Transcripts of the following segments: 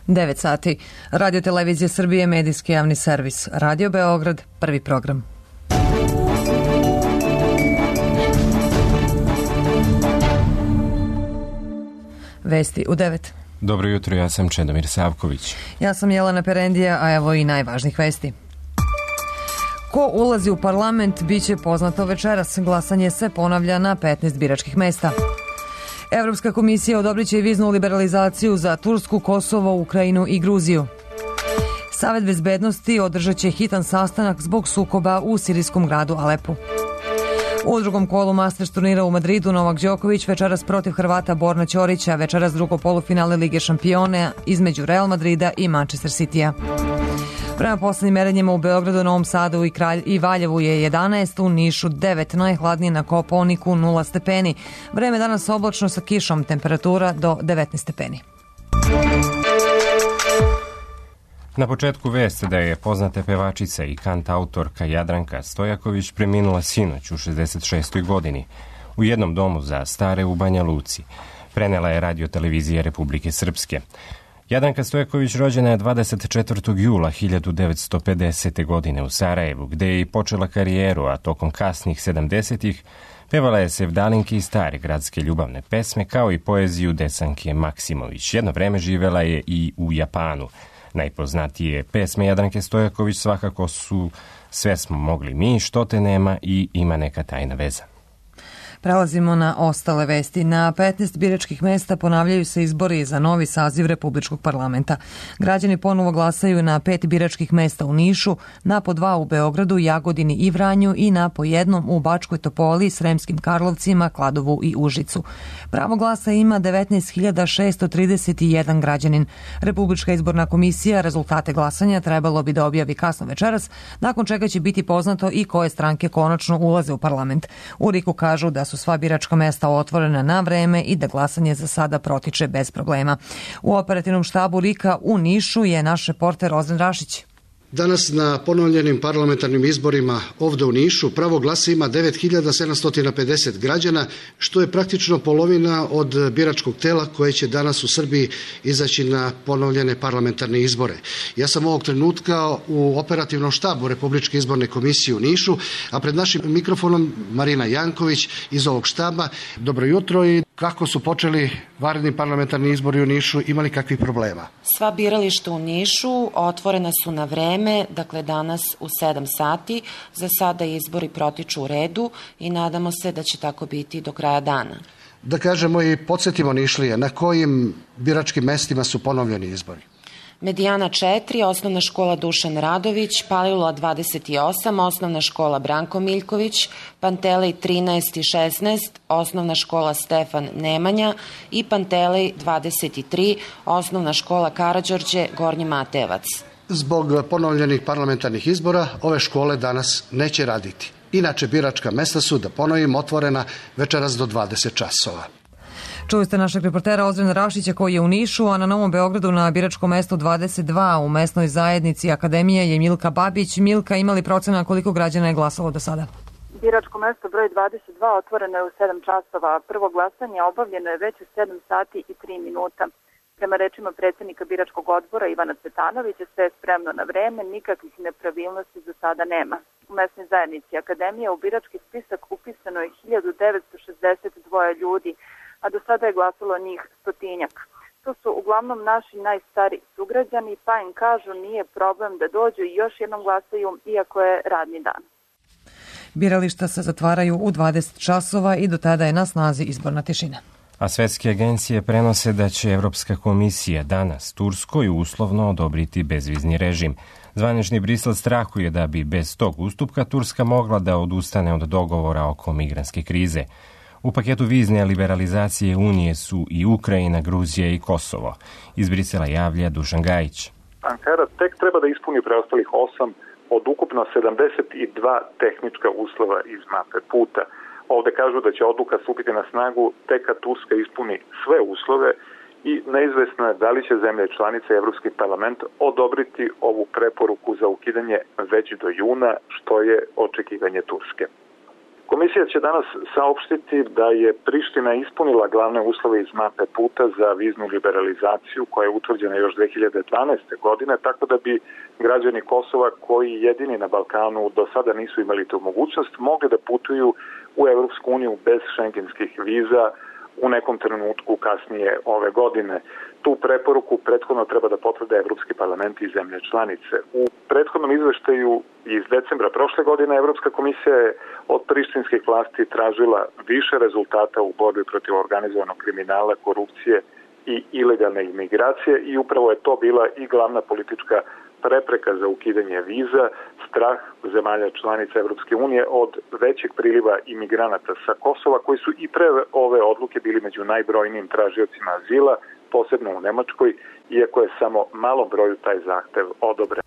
9 sati. Radio Televizija Srbije, medijski javni servis. Radio Beograd, prvi program. Vesti u 9. Dobro jutro, ja sam Čedomir Savković. Ja sam Jelena Perendija, a evo i najvažnijih vesti. Ko ulazi u parlament biće poznato večeras. Glasanje se ponavlja na 15 biračkih mesta. Evropska komisija odobrit će i viznu liberalizaciju za Tursku, Kosovo, Ukrajinu i Gruziju. Savet bezbednosti održat će hitan sastanak zbog sukoba u sirijskom gradu Alepu. U drugom kolu Masters turnira u Madridu Novak Đoković večeras protiv Hrvata Borna Ćorića, večeras drugo polufinale Lige šampiona između Real Madrida i Manchester Citya. Prema poslednjim merenjima u Beogradu, Novom Sadu i Valjevu je 11, u Nišu 9, najhladnije na Kopaoniku 0 stepeni. Vreme danas oblačno sa kišom, temperatura do 19 stepeni. Na početku veste da je poznata pevačica i kantautorka Jadranka Stojaković preminula sinoć u 66. godini u jednom domu za stare u Banja Luci. Prenela je Radio Televizija Republike Srpske. Jadranka Stojaković rođena je 24. jula 1950. godine u Sarajevu, gde je i počela karijeru, a tokom kasnih 70-ih pevala je sevdalinke i stare gradske ljubavne pesme, kao i poeziju Desanke Maksimović. Jedno vreme živela je i u Japanu. Najpoznatije pesme Jadranke Stojaković svakako su Sve smo mogli mi, Što te nema i Ima neka tajna veza. Prelazimo na ostale vesti. Na 15 biračkih mesta ponavljaju se izbori za novi saziv Republičkog parlamenta. Građani ponovo glasaju na 5 biračkih mesta u Nišu, na po 2 u Beogradu, Jagodini i Vranju i na po 1 u Bačkoj Topoli, Sremskim Karlovcima, Kladovu i Užicu. Pravo glasa ima 19.631 građanin. Republička izborna komisija rezultate glasanja trebalo bi da objavi kasno večeras, nakon čega će biti poznato i koje stranke konačno ulaze u parlament. U RIK-u kažu da su sva biračka mesta otvorena na vreme i da glasanje za sada protiče bez problema. U operativnom štabu RIK-a u Nišu je naš reporter Ozren Rašić. Danas na ponovljenim parlamentarnim izborima ovde u Nišu pravo glasa ima 9.750 građana, što je praktično polovina od biračkog tela koje će danas u Srbiji izaći na ponovljene parlamentarne izbore. Ja sam ovog trenutka u operativnom štabu Republičke izborne komisije u Nišu, a pred našim mikrofonom Marina Janković iz ovog štaba. Dobro jutro i kako su počeli vanredni parlamentarni izbori u Nišu, imali kakvih problema? Sva birališta u Nišu otvorena su na vreme, dakle danas u 7 sati. Za sada izbori protiču u redu i nadamo se da će tako biti do kraja dana. Da kažemo i podsjetimo Nišlije, na kojim biračkim mestima su ponovljeni izbori? Medijana 4, osnovna škola Dušan Radović, Palilula 28, osnovna škola Branko Miljković, Pantelej 13 i 16, osnovna škola Stefan Nemanja i Pantelej 23, osnovna škola Karađorđe Gornji Matejevac. Zbog ponovljenih parlamentarnih izbora ove škole danas neće raditi. Inače, biračka mesta su, da ponovim, otvorena večeras do 20 časova. Čuli ste našeg reportera Ozrena Rašića koji je u Nišu, a na Novom Beogradu na biračkom mestu 22 u mesnoj zajednici Akademije je Milka Babić. Milka, imali procena koliko građana je glasalo do sada? Biračko mesto broj 22 otvoreno je u 7 časova. Prvo glasanje obavljeno je već u 7 sati i 3 minuta. Prema rečima predsjednika biračkog odbora Ivana Cvetanovića, sve je spremno na vreme, nikakvih nepravilnosti za sada nema. U mesnoj zajednici Akademije u birački spisak upisano je 1962 ljudi, a do sada je glasalo njih 100-tinjak. To su uglavnom naši najstariji sugrađani, pa im kažu nije problem da dođu i još jednom glasaju, iako je radni dan. Birališta se zatvaraju u 20 časova i do tada je na snazi izborna tišina. A svetske agencije prenose da će Evropska komisija danas Turskoj uslovno odobriti bezvizni režim. Zvanični Brisel strahuje da bi bez tog ustupka Turska mogla da odustane od dogovora oko migrantske krize. U paketu vizne liberalizacije Unije su i Ukrajina, Gruzija i Kosovo. Iz Brisela javlja Dušan Gajić. Ankara tek treba da ispuni preostalih 8 od ukupno 72 tehnička uslova iz mape puta. Ovde kažu da će odluka stupiti na snagu tek kad Turska ispuni sve uslove i neizvesno je da li će zemlje članice Evropski parlament odobriti ovu preporuku za ukidanje već do juna, što je očekivanje Turske. Komisija će danas saopštiti da je Priština ispunila glavne uslove iz mape puta za viznu liberalizaciju koja je utvrđena još 2012. godine, tako da bi građani Kosova koji jedini na Balkanu do sada nisu imali tu mogućnost mogli da putuju u Evropsku uniju bez šengenskih viza u nekom trenutku kasnije ove godine. Tu preporuku prethodno treba da potvrde Evropski parlament i zemlje članice. U prethodnom izveštaju iz decembra prošle godine Evropska komisija je od prištinskih vlasti tražila više rezultata u borbi protiv organizovanog kriminala, korupcije i ilegalne imigracije i upravo je to bila i glavna politička prepreka za ukidanje viza, strah zemalja članica Evropske unije od većeg priliva imigranata sa Kosova, koji su i pre ove odluke bili među najbrojnijim tražiocima azila, posebno u Nemačkoj, iako je samo malom broju taj zahtev odobren.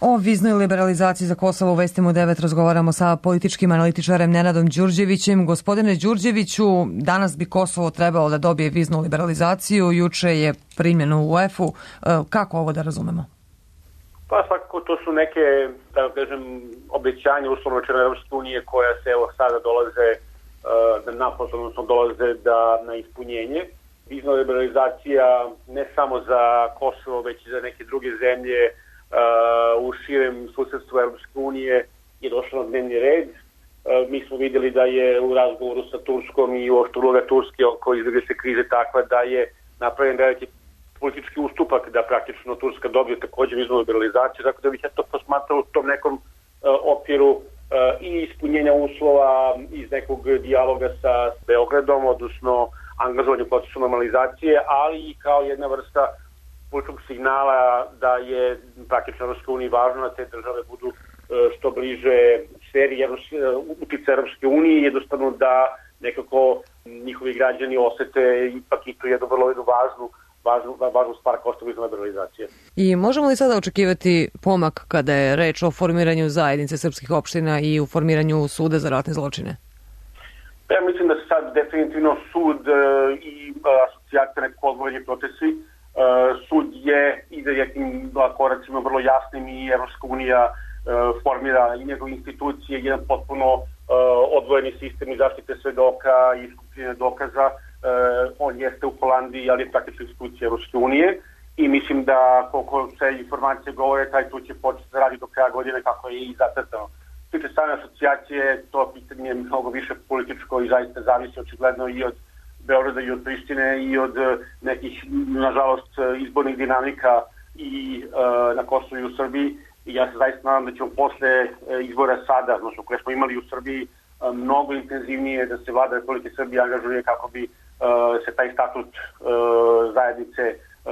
O viznoj liberalizaciji za Kosovo u Vestima u 9 razgovaramo sa političkim analitičarem Nenadom Đurđevićem. Gospodine Đurđeviću, danas bi Kosovo trebalo da dobije viznu liberalizaciju, juče je primljeno u UEFA-u. Kako ovo da razumemo? Pa svakako to su neke, da kažem, obećanja uslovno rečeno Evropske unije koja se evo sada dolaze dolaze na ispunjenje. Vizna liberalizacija ne samo za Kosovo, već i za neke druge zemlje u širem susedstvu Evropske unije je došla na dnevni red. Mi smo vidjeli da je u razgovoru sa Turskom i uopšte uloga Turske oko izbjegličke krize takva da je napravljen veliki politički ustupak da praktično Turska dobije također viznu liberalizaciju, tako da bih ja to posmatrao u tom nekom okviru i ispunjenja uslova iz nekog dijaloga sa Beogradom, odnosno angažovanju procesu normalizacije, ali i kao jedna vrsta političkog signala da je praktično Evropska unija važno da te države budu što bliže sferi uticaja Evropske unije, jednostavno da nekako njihovi građani osete ipak i tu jednu vrlo važnu stvar kao što je vizna liberalizacija. I možemo li sada očekivati pomak kada je reč o formiranju zajednice srpskih opština i u formiranju suda za ratne zločine? Ja mislim da se sad definitivno sud i asocijacija nekako odgovorni procesi. Sud je ide nekim koracima vrlo jasnim i Evropska unija formira i njegove institucije, jedan potpuno odvojeni sistem i zaštite svedoka i skupljene dokaza. On jeste u Holandiji, ali je praktično institucija Evropske unije i mislim da koliko se informacije govore, taj sud će početi da radi do kraja godine kako je i zacrtano. Tiče same asocijacije, to pitanje je mnogo više političko i zaista zavisi očigledno i od Beograda i od Prištine i od nekih, nažalost, izbornih dinamika i na Kosovu i u Srbiji. I ja se zaista nadam da ćemo posle izbora sada, odnosno koje smo imali u Srbiji, mnogo intenzivnije da se vlada Republike Srbije angažuje kako bi se taj statut zajednice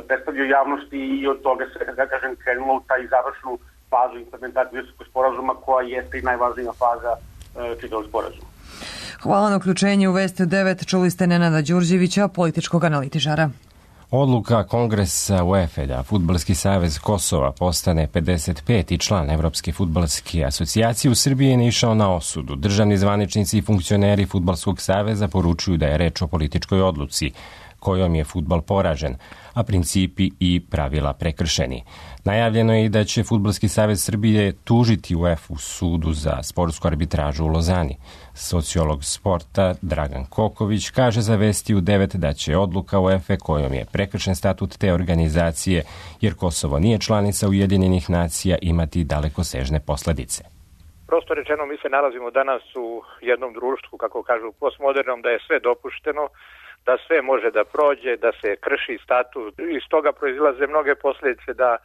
predstavio javnosti i od toga se, da kažem, krenulo u taj završnu fazu implementacije Briselskog sporazuma koja jeste i najvažnija faza čitavog sporazuma. Hvala na uključenju u Vesti 9. Čuli ste Nenada Đurđevića, političkog analitičara. Odluka Kongresa UEFA da Fudbalski savez Kosova postane 55. član Evropske fudbalske asocijacije u Srbiji je naišao na osudu. Državni zvaničnici i funkcioneri Fudbalskog saveza poručuju da je reč o političkoj odluci kojom je fudbal poražen, a principi i pravila prekršeni. Najavljeno je i da će Fudbalski savez Srbije tužiti UEFA u sudu za sportsku arbitražu u Lozani. Sociolog sporta Dragan Koković kaže za Vesti u 9 da će odluka UEFA kojom je prekršen statut te organizacije, jer Kosovo nije članica Ujedinjenih nacija, imati dalekosežne posledice. Prosto rečeno, mi se nalazimo danas u jednom društvu, kako kažu postmodernom, da je sve dopušteno, da sve može da prođe, da se krši statut. Iz toga proizilaze mnoge posljedice da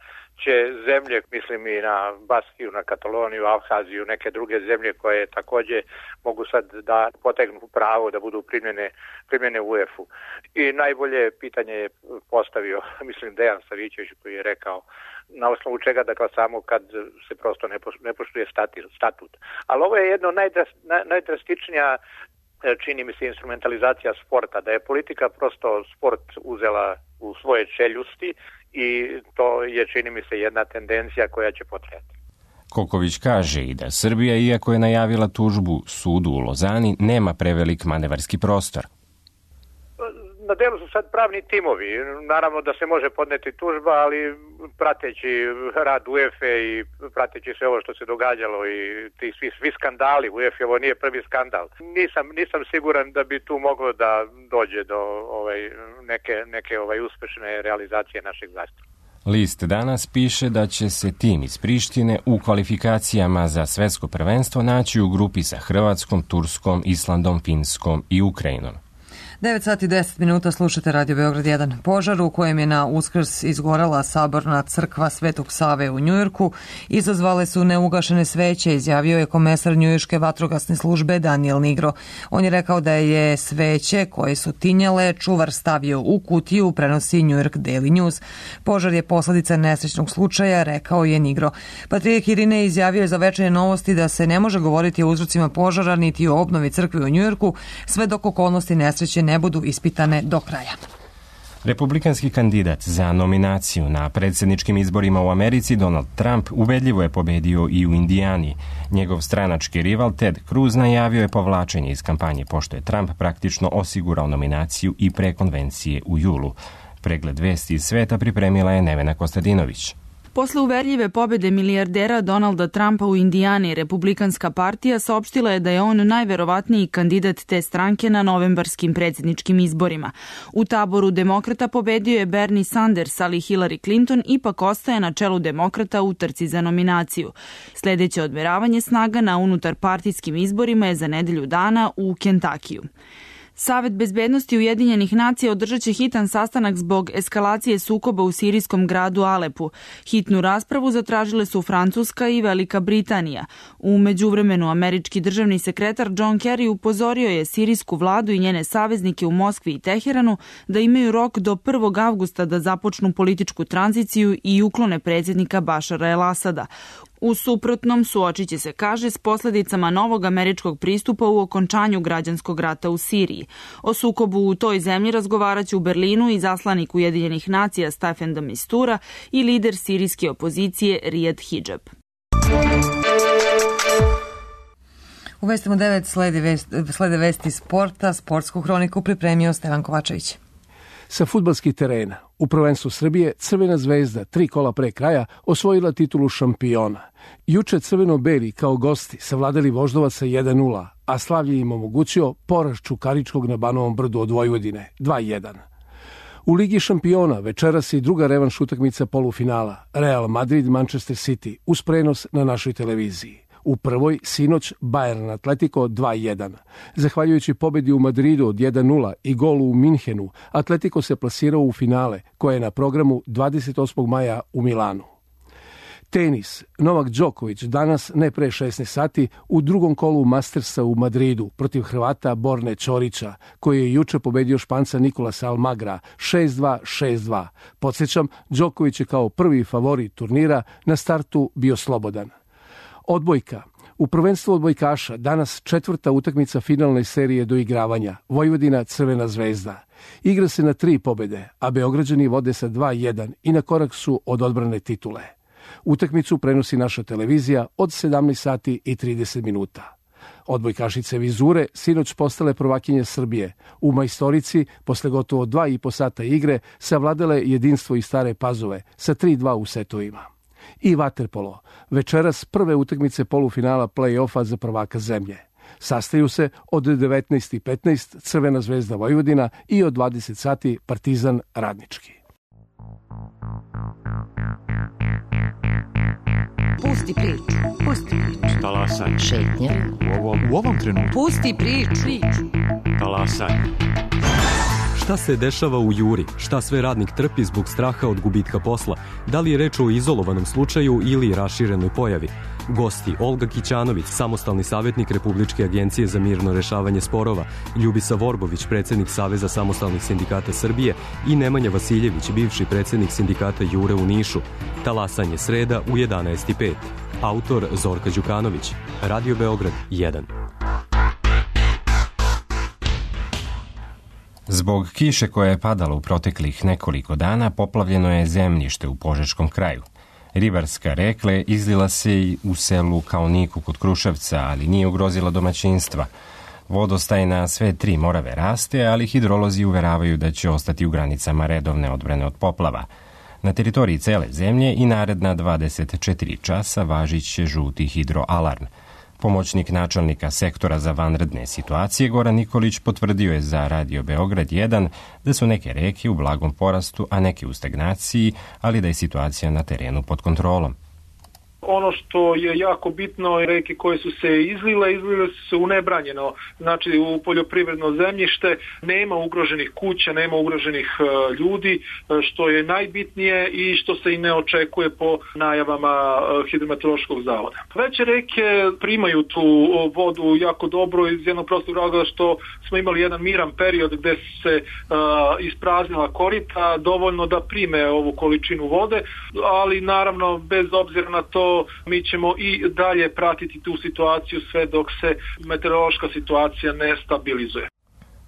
će zemlje, mislim i na Baskiju, na Kataloniju, Abhaziju, neke druge zemlje koje također mogu sad da potegnu pravo da budu primljene u UEFA-u. I najbolje pitanje je postavio, mislim, Dejan Savićević koji je rekao na osnovu čega da glasamo kad se prosto ne poštuje statut. Ali ovo je jedno najdrastičnija, čini mi se, instrumentalizacija sporta, da je politika prosto sport uzela u svoje čeljusti i to je, čini mi se, jedna tendencija koja će potrajati. Koković kaže i da Srbija, iako je najavila tužbu sudu u Lozani, nema prevelik manevarski prostor. Na delu su sad pravni timovi. Naravno da se može podneti tužba, ali prateći rad UEFA i prateći sve ovo što se događalo i ti svi skandali, UEFA ovo nije prvi skandal. Nisam siguran da bi tu moglo da dođe do neke uspešne realizacije našeg zahtjeva. List danas piše da će se tim iz Prištine u kvalifikacijama za svetsko prvenstvo naći u grupi sa Hrvatskom, Turskom, Islandom, Finskom i Ukrajinom. 9 sati 10 minuta slušate Radio Beograd 1. Požar u kojem je na Uskrs izgorala saborna crkva Svetog Save u Njujorku izazvale su neugašene sveće, izjavio je komesar njujorške vatrogasne službe Daniel Nigro. On je rekao da je sveće koje su tinjale čuvar stavio u kutiju, prenosi New York Daily News. Požar je posledica nesrećnog slučaja, rekao je Nigro. Patrijarh Irinej izjavio je za Večernje novosti da se ne može govoriti o uzrocima požara niti o obnovi crkve u Njujorku sve dok okolnosti nesreće ne budu ispitane do kraja. Republikanski kandidat za nominaciju na predsjedničkim izborima u Americi, Donald Trump, ubedljivo je pobedio i u Indijani. Njegov stranački rival Ted Cruz najavio je povlačenje iz kampanje, pošto je Trump praktično osigurao nominaciju i pre konvencije u julu. Pregled vesti iz sveta pripremila je Nevena Kostadinović. Posle uverljive pobede milijardera Donalda Trumpa u Indijani, Republikanska partija saopštila je da je on najverovatniji kandidat te stranke na novembarskim predsjedničkim izborima. U taboru demokrata pobedio je Bernie Sanders, ali Hillary Clinton ipak ostaje na čelu demokrata u trci za nominaciju. Sljedeće odmeravanje snaga na unutarpartijskim izborima je za nedelju dana u Kentakiju. Savet bezbednosti Ujedinjenih nacija održat će hitan sastanak zbog eskalacije sukoba u sirijskom gradu Alepu. Hitnu raspravu zatražile su Francuska i Velika Britanija. U međuvremenu američki državni sekretar John Kerry upozorio je sirijsku vladu i njene saveznike u Moskvi i Teheranu da imaju rok do 1. avgusta da započnu političku tranziciju i uklone predsjednika Bašara el-Asada. U suprotnom suočit će se, kaže, s posljedicama novog američkog pristupa u okončanju građanskog rata u Siriji. O sukobu u toj zemlji razgovarat će u Berlinu i zaslanik Ujedinjenih nacija Staffan de Mistura i lider sirijske opozicije Riyad Hijab. U vestima 9 slede vesti sporta, sportsku hroniku pripremio Stevan Kovačević. Sa fudbalskih terena, u prvenstvu Srbije, Crvena zvezda 3 kola pre kraja osvojila titulu šampiona. Juče crveno-beli kao gosti savladali Voždovaca 1-0, a slavlje im omogućio poraz Čukaričkog na Banovom brdu od Vojvodine 2-1. U Ligi šampiona večeras i druga revanš utakmica polufinala Real Madrid-Manchester City uz prenos na našoj televiziji. U prvoj, sinoć, Bayern Atletico 2-1. Zahvaljujući pobedi u Madridu od 1-0 i golu u Minhenu, Atletico se plasirao u finale, koje je na programu 28. maja u Milanu. Tenis. Novak Đoković danas, ne pre 16 sati, u drugom kolu Mastersa u Madridu protiv Hrvata Borne Ćorića, koji je juče pobedio Španca Nikolasa Almagra 6-2, 6-2. Podsjećam, Đoković je kao prvi favorit turnira na startu bio slobodan. Odbojka. U prvenstvu odbojkaša danas 4. utakmica finalne serije doigravanja Vojvodina Crvena zvezda. Igra se na 3 pobede, a Beograđani vode sa 2-1 i na korak su od odbrane titule. Utakmicu prenosi naša televizija od 17 sati i 30 minuta. Odbojkašice Vizure sinoć postale prvakinje Srbije. U majstorici, posle gotovo 2,5 sata igre, savladale jedinstvo iz Stare Pazove sa 3-2 u setovima. I vaterpolo. Večeras prve utakmice polufinala play-offa za prvaka zemlje. Sastaju se od 19:15 Crvena zvezda Vojvodina i od 20 sati Partizan Radnički. Pusti priču. Talasaj. Šetnja. U ovom trenutku. Pusti priču. Talasaj. Šta se dešava u Juri? Šta sve radnik trpi zbog straha od gubitka posla? Da li je reč o izolovanom slučaju ili raširenoj pojavi? Gosti Olga Kićanović, samostalni savjetnik Republičke agencije za mirno rešavanje sporova, Ljubisa Vorbović, predsjednik Saveza samostalnih sindikata Srbije i Nemanja Vasiljević, bivši predsjednik sindikata Jure u Nišu. Talasanje sreda u 11:05. Autor Zorka Đukanović. Radio Beograd 1. Zbog kiše koja je padala u proteklih nekoliko dana, poplavljeno je zemljište u Požeškom kraju. Ribarska rekla izlila se i u selu Kaoniku kod Kruševca, ali nije ugrozila domaćinstva. Vodostaj na sve 3 morave raste, ali hidrolozi uveravaju da će ostati u granicama redovne odbrane od poplava. Na teritoriji cele zemlje i naredna 24 časa važit će žuti hidroalarm. Pomoćnik načelnika sektora za vanredne situacije Goran Nikolić potvrdio je za Radio Beograd 1 da su neke reke u blagom porastu, a neke u stagnaciji, ali da je situacija na terenu pod kontrolom. Ono što je jako bitno, reke koje su se izlile su se u nebranjeno, znači u poljoprivredno zemljište, nema ugroženih kuća, nema ugroženih ljudi, što je najbitnije i što se i ne očekuje po najavama Hidrometeorološkog zavoda. Veće reke primaju tu vodu jako dobro iz jednog prostog razloga što smo imali jedan miran period gde se ispraznila korita, dovoljno da prime ovu količinu vode, ali naravno bez obzira na to mi ćemo i dalje pratiti tu situaciju sve dok se meteorološka situacija ne stabilizuje.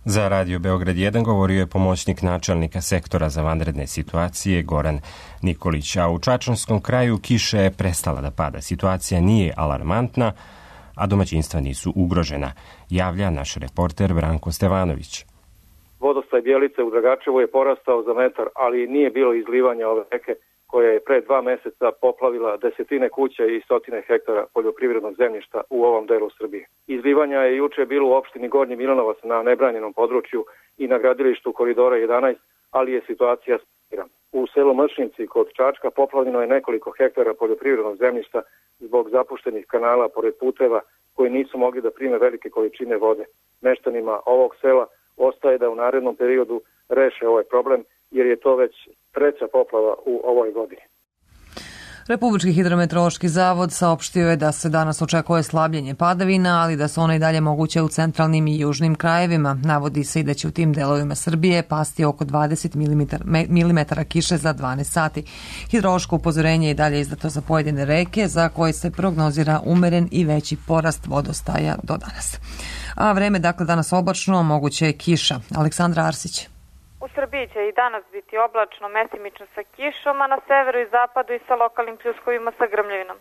Za Radio Beograd 1 govorio je pomoćnik načelnika sektora za vanredne situacije Goran Nikolić, a u Čačanskom kraju kiša je prestala da pada. Situacija nije alarmantna, a domaćinstva nisu ugrožena, javlja naš reporter Branko Stevanović. Vodostaj Bjelice u Dragačevu je porastao za metar, ali nije bilo izlivanja ove reke koja je pre 2 meseca poplavila desetine kuća i stotine hektara poljoprivrednog zemljišta u ovom delu Srbije. Izlivanja je juče bilo u opštini Gornji Milanovac na nebranjenom području i na gradilištu Koridora 11, ali je situacija stabilna. U selu Mršnici kod Čačka poplavljeno je nekoliko hektara poljoprivrednog zemljišta zbog zapuštenih kanala pored puteva koji nisu mogli da prime velike količine vode. Meštanima ovog sela ostaje da u narednom periodu reše ovaj problem, jer je to već 3. poplava u ovoj godini. Republički hidrometeorološki zavod saopštio je da se danas očekuje slabljenje padavina, ali da su one i dalje moguće u centralnim i južnim krajevima. Navodi se i da će u tim delovima Srbije pasti oko 20 mm kiše za 12 sati. Hidrološko upozorenje je i dalje izdato za pojedine reke, za koje se prognozira umeren i veći porast vodostaja do danas. A vreme, dakle, danas oblačno, moguće je kiša. Aleksandra Arsić. U Srbiji će i danas biti oblačno, mesimično sa kišom, a na severu i zapadu i sa lokalnim pljuskovima sa grmljavinom.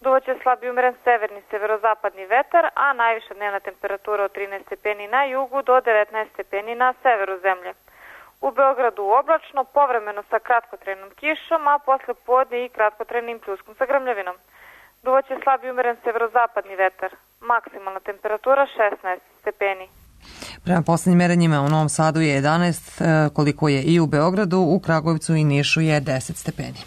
Duvaće slabi umeren severni severozapadni vetar, a najviša dnevna temperatura od 13 stepeni na jugu do 19 stepeni na severu zemlje. U Beogradu oblačno, povremeno sa kratkotrajnom kišom, a posle podne i kratkotrajnim pljuskom sa grmljavinom. Duvaće slabi umeren severozapadni vetar, maksimalna temperatura 16 stepeni. Prema poslednjim merenjima u Novom Sadu je 11, koliko je i u Beogradu, u Kragujevcu i Nišu je 10 stepeni.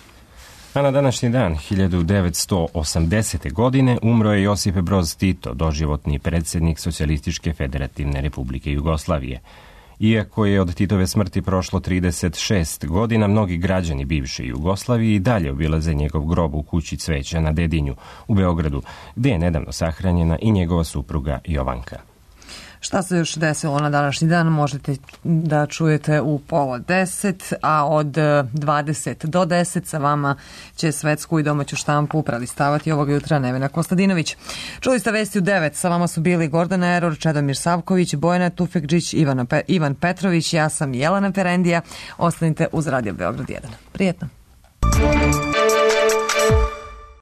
A na današnji dan, 1980. godine, umro je Josip Broz Tito, doživotni predsjednik Socijalističke federativne republike Jugoslavije. Iako je od Titove smrti prošlo 36 godina, mnogi građani bivše Jugoslavije i dalje obilaze njegov grob u kući Cveća na Dedinju u Beogradu, gde je nedavno sahranjena i njegova supruga Jovanka. Šta se još desilo na današnji dan možete da čujete u 9:30, a od 20 do 10 sa vama će svetsku i domaću štampu prelistavati ovog jutra Nevena Kostadinović. Čuli ste vesti u 9, sa vama su bili Gordana Eror, Čedomir Savković, Bojana Tufekđić, Ivan Petrović, ja sam Jelena Ferendija. Ostanite uz Radio Beograd 1. Prijetno.